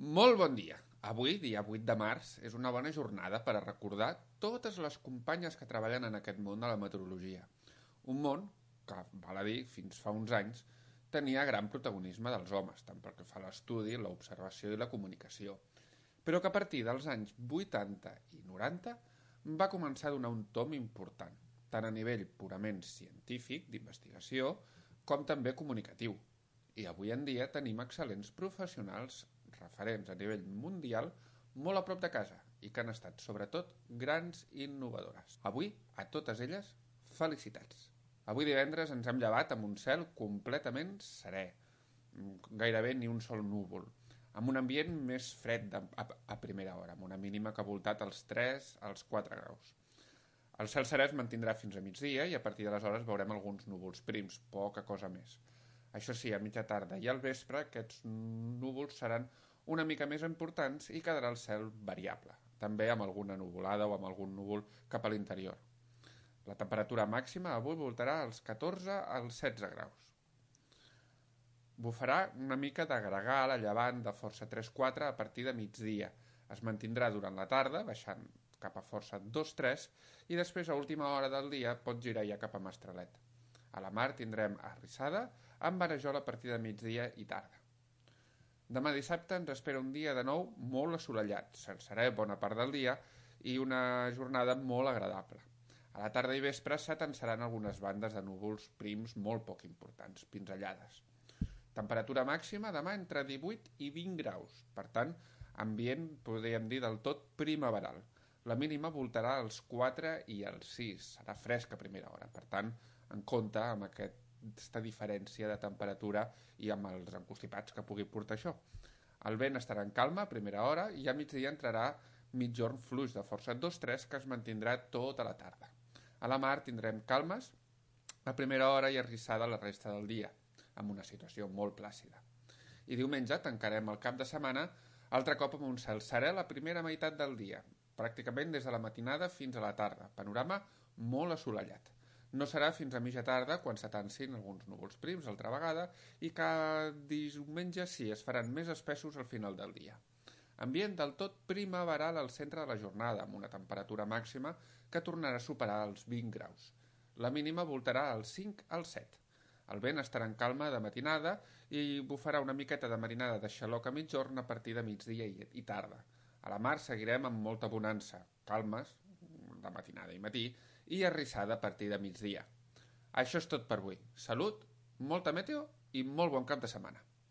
Molt bon dia. Avui, dia 8 de març, és una bona jornada per a recordar totes les companyes que treballen en aquest món de la meteorologia. Un món que, val a dir, fins fa uns anys, tenia gran protagonisme dels homes, tant pel que fa a l'estudi, l'observació i la comunicació, però que a partir dels anys 80 i 90 va començar a donar un tom important, tant a nivell purament científic, d'investigació, com també comunicatiu. I avui en dia tenim excel·lents professionals referents a nivell mundial molt a prop de casa i que han estat, sobretot, grans innovadores. Avui, a totes elles, felicitats. Avui divendres ens hem llevat amb un cel completament serè, gairebé ni un sol núvol, amb un ambient més fred a primera hora, amb una mínima que ha voltat als 3 als 4 graus. El cel serè es mantindrà fins a migdia i a partir d'aleshores veurem alguns núvols prims, poca cosa més. Això sí, a mitja tarda i al vespre aquests núvols seran una mica més importants i quedarà el cel variable, també amb alguna nuvolada o amb algun núvol cap a l'interior. La temperatura màxima avui voltarà als 14 als 16 graus. Bufarà una mica de gregal a llevant de força 3-4 a partir de migdia. Es mantindrà durant la tarda, baixant cap a força 2-3, i després a última hora del dia pot girar ja cap a Mastralet. A la mar tindrem arrissada amb varejol a partir de migdia i tarda. Demà dissabte ens espera un dia de nou molt assolellat, serè bona part del dia i una jornada molt agradable. A la tarda i vespre s'atansaran algunes bandes de núvols prims molt poc importants, pinzellades. Temperatura màxima demà entre 18 i 20 graus, per tant, ambient podríem dir del tot primaveral. La mínima voltarà als 4 i als 6, serà fresc a primera hora, per tant, en compte amb aquesta diferència de temperatura i amb els encostipats que pugui portar això. El vent estarà en calma a primera hora i a migdia entrarà mitjorn fluix de força 2-3 que es mantindrà tota la tarda. A la mar tindrem calmes a primera hora i arrissada la resta del dia, amb una situació molt plàcida. I diumenge tancarem el cap de setmana altre cop amb un cel serè la primera meitat del dia, pràcticament des de la matinada fins a la tarda, panorama molt assolellat. No serà fins a mitja tarda quan s'atansin alguns núvols prims altra vegada i que diumenge sí es faran més espessos al final del dia. Ambient del tot primaveral al centre de la jornada, amb una temperatura màxima que tornarà a superar els 20 graus. La mínima voltarà als 5 als 7. El vent estarà en calma de matinada i bufarà una miqueta de marinada de xaloc a mitjorn a partir de migdia i tarda. A la mar seguirem amb molta bonança, calmes de matinada i matí, i arrissada a partir de migdia. Això és tot per avui. Salut, molta meteo i molt bon cap de setmana.